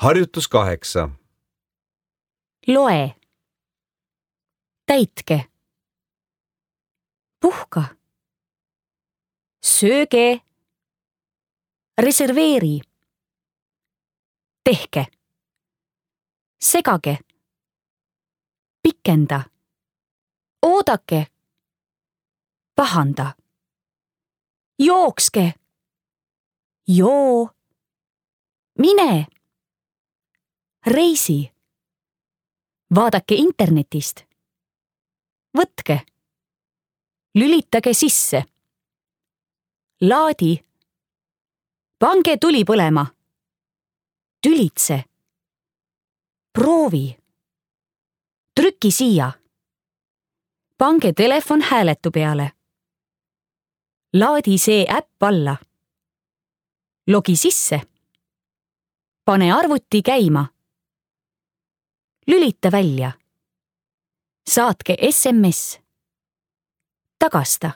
Harjutus 8. Loe. Täitke. Puhka. Sööge. Reserveeri. Tehke. Segage. Pikenda. Oodake. Pahanda. Jookske. Joo. Mine. Reisi. Vaadake internetist. Võtke. Lülitage sisse. Laadi. Pange tuli põlema. Tülitse. Proovi. Trüki siia. Pange telefon hääletu peale. Laadi see äpp alla. Logi sisse. Pane arvuti käima. Lülita välja. Saatke SMS. Tagasta.